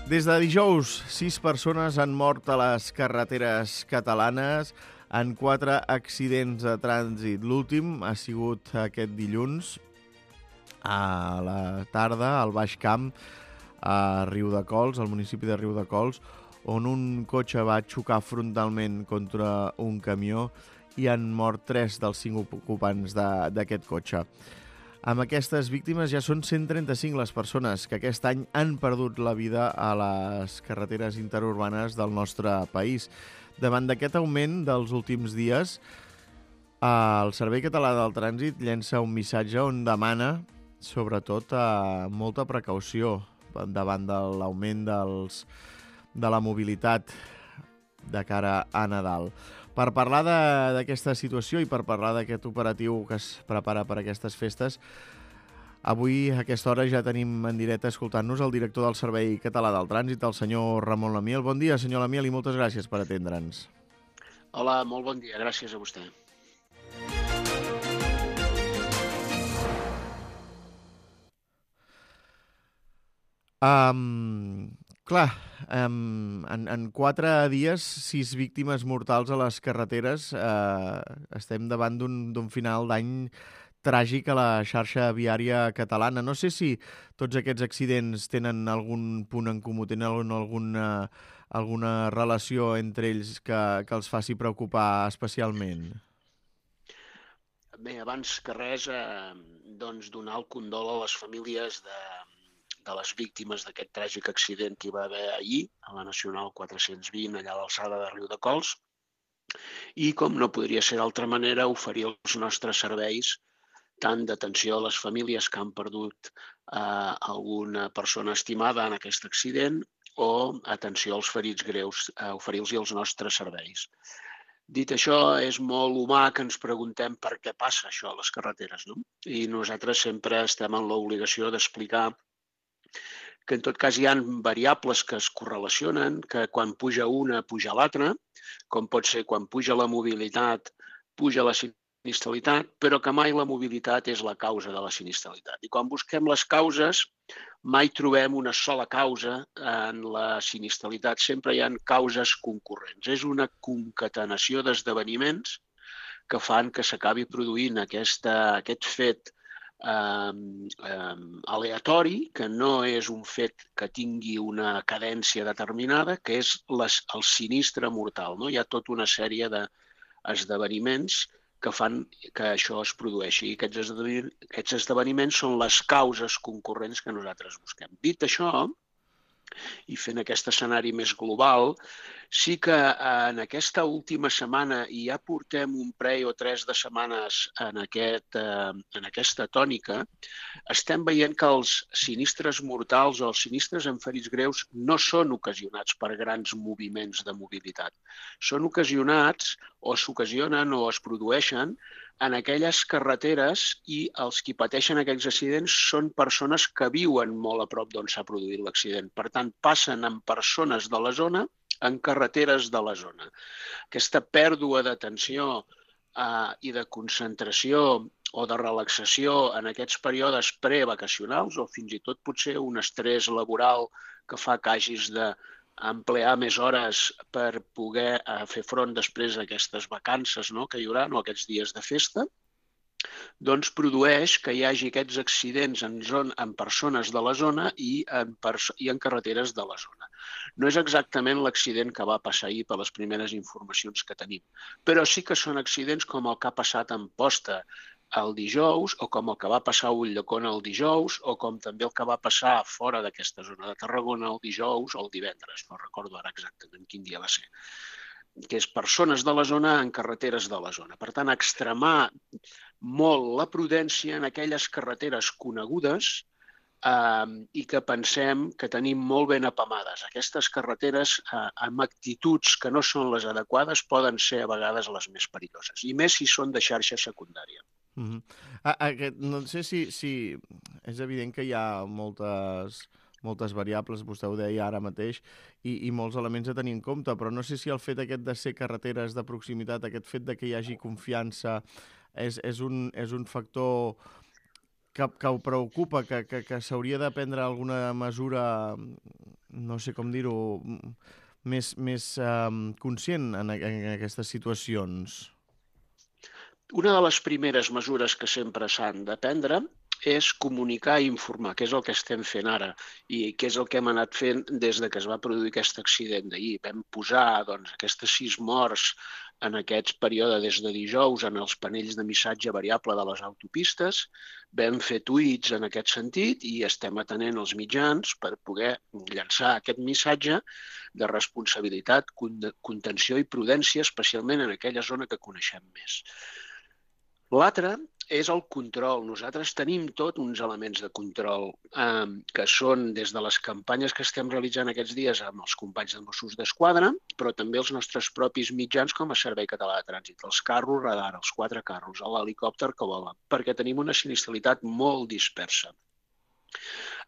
Des de dijous, 6 persones han mort a les carreteres catalanes en 4 accidents de trànsit. L'últim ha sigut aquest dilluns a la tarda al Baix Camp, a Riudecols, al municipi de Riudecols, on un cotxe va xocar frontalment contra un camió i han mort 3 dels 5 ocupants d'aquest cotxe. Amb aquestes víctimes ja són 135 les persones que aquest any han perdut la vida a les carreteres interurbanes del nostre país. Davant d'aquest augment dels últims dies, el Servei Català del Trànsit llença un missatge on demana, sobretot, molta precaució davant de l'augment de la mobilitat de cara a Nadal. Per parlar d'aquesta situació i per parlar d'aquest operatiu que es prepara per aquestes festes, avui a aquesta hora ja tenim en directe escoltant-nos el director del Servei Català del Trànsit, el senyor Ramon Lamiel. Bon dia, senyor Lamiel, i moltes gràcies per atendre'ns. Hola, molt bon dia. Gràcies a vostè. Clar, en 4 dies, 6 víctimes mortals a les carreteres. Estem davant d'un final d'any tràgic a la xarxa viària catalana. No sé si tots aquests accidents tenen algun punt en comú, tenen alguna relació entre ells que els faci preocupar especialment. Bé, abans que res, doncs donar el condol a les famílies de les víctimes d'aquest tràgic accident que hi va haver ahir a la Nacional 420, allà a l'alçada de Riudecols, i, com no podria ser d'altra manera, oferir els nostres serveis tant d'atenció a les famílies que han perdut alguna persona estimada en aquest accident o atenció als ferits greus, oferir-los els nostres serveis. Dit això, és molt humà que ens preguntem per què passa això a les carreteres, no? I nosaltres sempre estem en l'obligació d'explicar que en tot cas hi ha variables que es correlacionen, que quan puja una, puja l'altra, com pot ser quan puja la mobilitat, puja la sinistralitat, però que mai la mobilitat és la causa de la sinistralitat. I quan busquem les causes, mai trobem una sola causa en la sinistralitat, sempre hi ha causes concurrents. És una concatenació d'esdeveniments que fan que s'acabi produint aquest fet aleatori, que no és un fet que tingui una cadència determinada, que és el sinistre mortal, no? Hi ha tota una sèrie d'esdeveniments que fan que això es produeixi. I aquests esdeveniments són les causes concurrents que nosaltres busquem. Dit això, i fent aquest escenari més global, sí que en aquesta última setmana, i ja portem un parell o 3 de setmanes en aquesta tònica, estem veient que els sinistres mortals o els sinistres amb ferits greus no són ocasionats per grans moviments de mobilitat. Són ocasionats o s'ocasionen o es produeixen en aquelles carreteres i els qui pateixen aquells accidents són persones que viuen molt a prop d'on s'ha produït l'accident. Per tant, passen amb persones de la zona en carreteres de la zona. Aquesta pèrdua d'atenció i de concentració o de relaxació en aquests períodes prevacacionals o fins i tot potser un estrès laboral que fa que hagis d'emplear més hores per poder fer front després a aquestes vacances que hi haurà, o aquests dies de festa, doncs produeix que hi hagi aquests accidents en persones de la zona i en carreteres de la zona. No és exactament l'accident que va passar ahir per les primeres informacions que tenim, però sí que són accidents com el que ha passat en Posta el dijous, o com el que va passar a Ulldecona el dijous, o com també el que va passar fora d'aquesta zona de Tarragona el dijous o el divendres, no recordo ara exactament quin dia va ser, que és persones de la zona en carreteres de la zona. Per tant, extremar molt la prudència en aquelles carreteres conegudes i que pensem que tenim molt ben apamades. Aquestes carreteres amb actituds que no són les adequades poden ser a vegades les més perilloses, i més si són de xarxa secundària. No sé si és evident que hi ha moltes variables, vostè ho deia ara mateix, i molts elements a tenir en compte, però no sé si el fet aquest de ser carreteres de proximitat, aquest fet de que hi hagi confiança, és un factor que ho preocupa, que s'hauria de prendre alguna mesura, no sé com dir-ho, més conscient en aquestes situacions? Una de les primeres mesures que sempre s'han de prendre és comunicar i informar, que és el que estem fent ara i que és el que hem anat fent des que es va produir aquest accident d'ahir. Vam posar aquestes 6 morts en aquest període des de dijous en els panells de missatge variable de les autopistes, vam fer tuits en aquest sentit i estem atenent els mitjans per poder llançar aquest missatge de responsabilitat, contenció i prudència, especialment en aquella zona que coneixem més. L'altre és el control. Nosaltres tenim tot uns elements de control que són des de les campanyes que estem realitzant aquests dies amb els companys de Mossos d'Esquadra, però també els nostres propis mitjans com a Servei Català de Trànsit, els carros radar, els 4 carros, l'helicòpter que vola, perquè tenim una sinistralitat molt dispersa.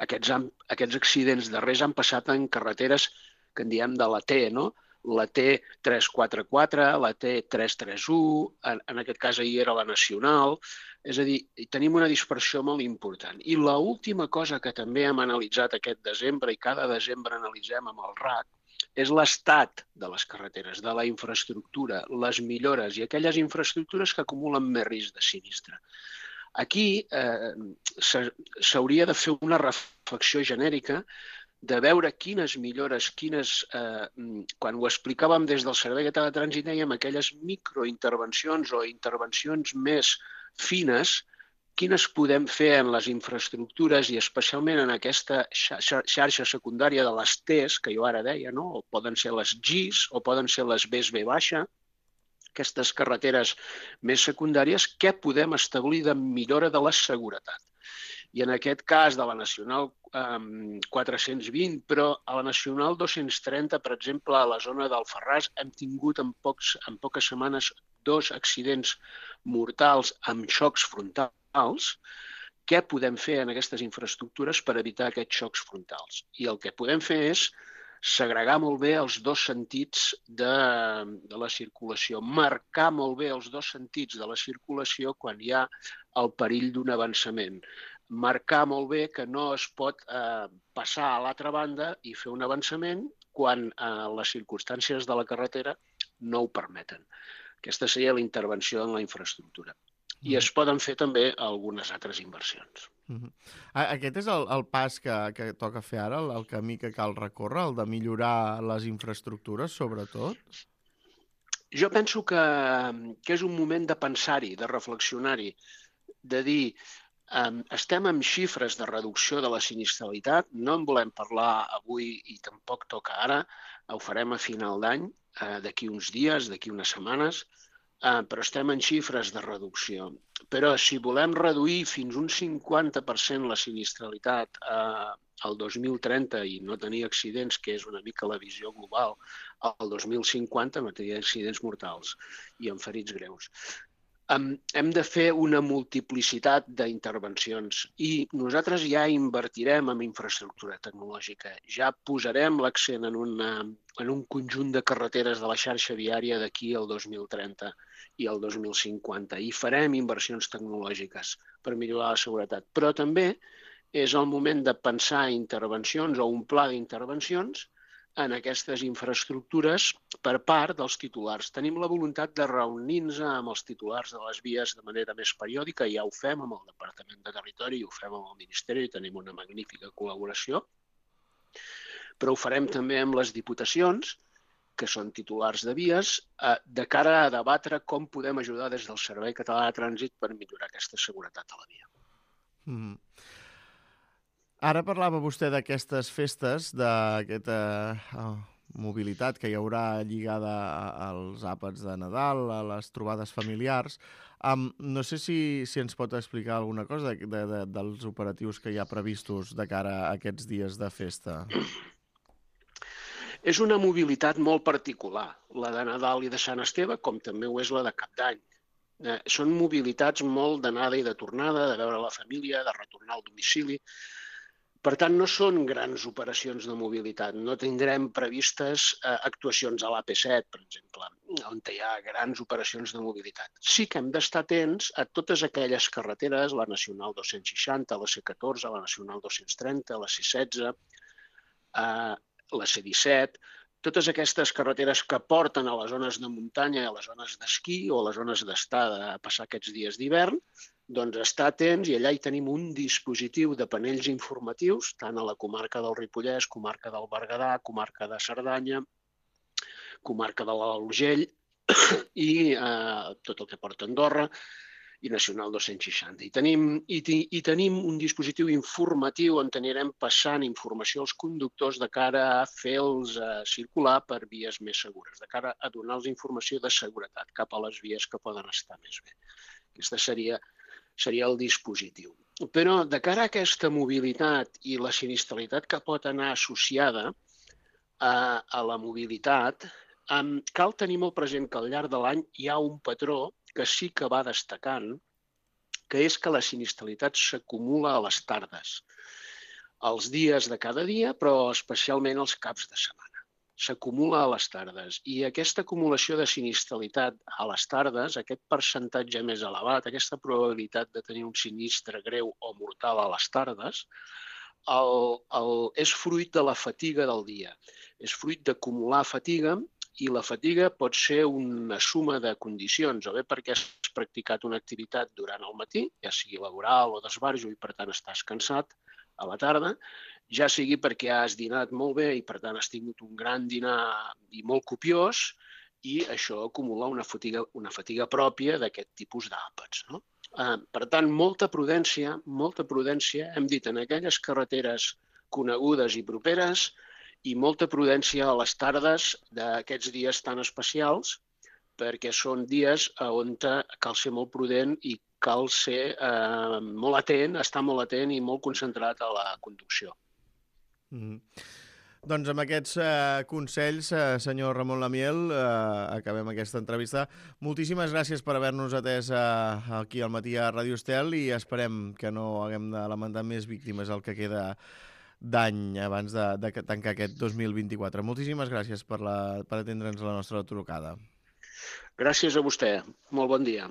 Aquests accidents darrers han passat en carreteres que en diem de la T, no? La T344, la T331, en aquest cas ahir era la nacional, és a dir, tenim una dispersió molt important. I l'última cosa que també hem analitzat aquest desembre i cada desembre analitzem amb el RAC és l'estat de les carreteres, de la infraestructura, les millores i aquelles infraestructures que acumulen més risc de sinistre. Aquí s'hauria de fer una reflexió genèrica de veure quines millores, quan ho explicàvem des del Servei Català de Trànsit, dèiem aquelles microintervencions o intervencions més fines, quines podem fer en les infraestructures i especialment en aquesta xarxa secundària de les Ts, que jo ara deia, no? O poden ser les GIS o poden ser les Bs B baixa, aquestes carreteres més secundàries, què podem establir de millora de la seguretat. I en aquest cas de la Nacional 420, però a la Nacional 230, per exemple, a la zona d'Alfarràs, hem tingut en poques setmanes 2 accidents mortals amb xocs frontals. Què podem fer en aquestes infraestructures per evitar aquests xocs frontals? I el que podem fer és segregar molt bé els 2 sentits de la circulació, marcar molt bé els 2 sentits de la circulació quan hi ha el perill d'un avançament. Marcar molt bé que no es pot passar a l'altra banda i fer un avançament quan les circumstàncies de la carretera no ho permeten. Aquesta seria la intervenció en la infraestructura. I es poden fer també algunes altres inversions. Aquest és el pas que toca fer ara, el camí que cal recórrer, el de millorar les infraestructures, sobretot? Jo penso que és un moment de pensar-hi, de reflexionar-hi, de dir estem amb xifres de reducció de la sinistralitat, no en volem parlar avui i tampoc toca ara, ho farem a final d'any, d'aquí uns dies, d'aquí unes setmanes, però estem en xifres de reducció. Però si volem reduir fins un 50% la sinistralitat al 2030 i no tenir accidents, que és una mica la visió global, al 2050 no tenir accidents mortals i amb ferits greus. Hem de fer una multiplicitat d'intervencions i nosaltres ja invertirem en infraestructura tecnològica. Ja posarem l'accent en un conjunt de carreteres de la xarxa viària d'aquí al 2030 i al 2050 i farem inversions tecnològiques per millorar la seguretat. Però també és el moment de pensar intervencions o un pla d'intervencions en aquestes infraestructures per part dels titulars. Tenim la voluntat de reunir-nos amb els titulars de les vies de manera més periòdica, ja ho fem amb el Departament de Territori, ho fem amb el Ministeri, tenim una magnífica col·laboració, però ho farem també amb les diputacions, que són titulars de vies, de cara a debatre com podem ajudar des del Servei Català de Trànsit per millorar aquesta seguretat a la via. Ara parlava vostè d'aquestes festes, d'aquesta mobilitat que hi haurà lligada als àpats de Nadal, a les trobades familiars. No sé si ens pot explicar alguna cosa dels operatius que hi ha previstos de cara a aquests dies de festa. És una mobilitat molt particular, la de Nadal i de Sant Esteve, com també ho és la de Cap d'Any. Són mobilitats molt d'anada i de tornada, de veure la família, de retornar al domicili. Per tant, no són grans operacions de mobilitat. No tindrem previstes actuacions a l'AP7, per exemple, on hi ha grans operacions de mobilitat. Sí que hem d'estar atents a totes aquelles carreteres, la Nacional 260, la C14, la Nacional 230, la C16, la C17, totes aquestes carreteres que porten a les zones de muntanya, a les zones d'esquí o a les zones d'estar a passar aquests dies d'hivern, doncs estar atents, i allà hi tenim un dispositiu de panells informatius, tant a la comarca del Ripollès, comarca del Berguedà, comarca de Cerdanya, comarca de l'Alt Urgell i tot el que porta Andorra, i Nacional 260. I tenim un dispositiu informatiu on anirem passant informació als conductors de cara a fer-los circular per vies més segures, de cara a donar-los informació de seguretat cap a les vies que poden estar més bé. Aquesta seria el dispositiu. Però de cara a aquesta mobilitat i la sinistralitat que pot anar associada a la mobilitat, cal tenir molt present que al llarg de l'any hi ha un patró que sí que va destacant, que és que la sinistralitat s'acumula a les tardes, als dies de cada dia, però especialment als caps de setmana. S'acumula a les tardes. I aquesta acumulació de sinistralitat a les tardes, aquest percentatge més elevat, aquesta probabilitat de tenir un sinistre greu o mortal a les tardes, és fruit de la fatiga del dia. És fruit d'acumular fatiga, i la fatiga pot ser una suma de condicions, o bé perquè has practicat una activitat durant el matí, ja sigui laboral o d'esbarjo, i per tant estàs cansat a la tarda, ja sigui perquè has dinat molt bé i per tant has tingut un gran dinar i molt copiós, i això acumula una fatiga pròpia d'aquest tipus d'àpats, no? Per tant, molta prudència, hem dit, en aquelles carreteres conegudes i properes, i molta prudència a les tardes d'aquests dies tan especials, perquè són dies on cal ser molt prudent i cal ser molt atent, estar molt atent i molt concentrat a la conducció. Doncs amb aquests consells, senyor Ramon Lamiel, acabem aquesta entrevista. Moltíssimes gràcies per haver-nos atès aquí al matí a Ràdio Estel, i esperem que no haguem de lamentar més víctimes el que queda d'any abans de tancar aquest 2024. Moltíssimes gràcies per atendre'ns la nostra trucada. Gràcies a vostè. Molt bon dia.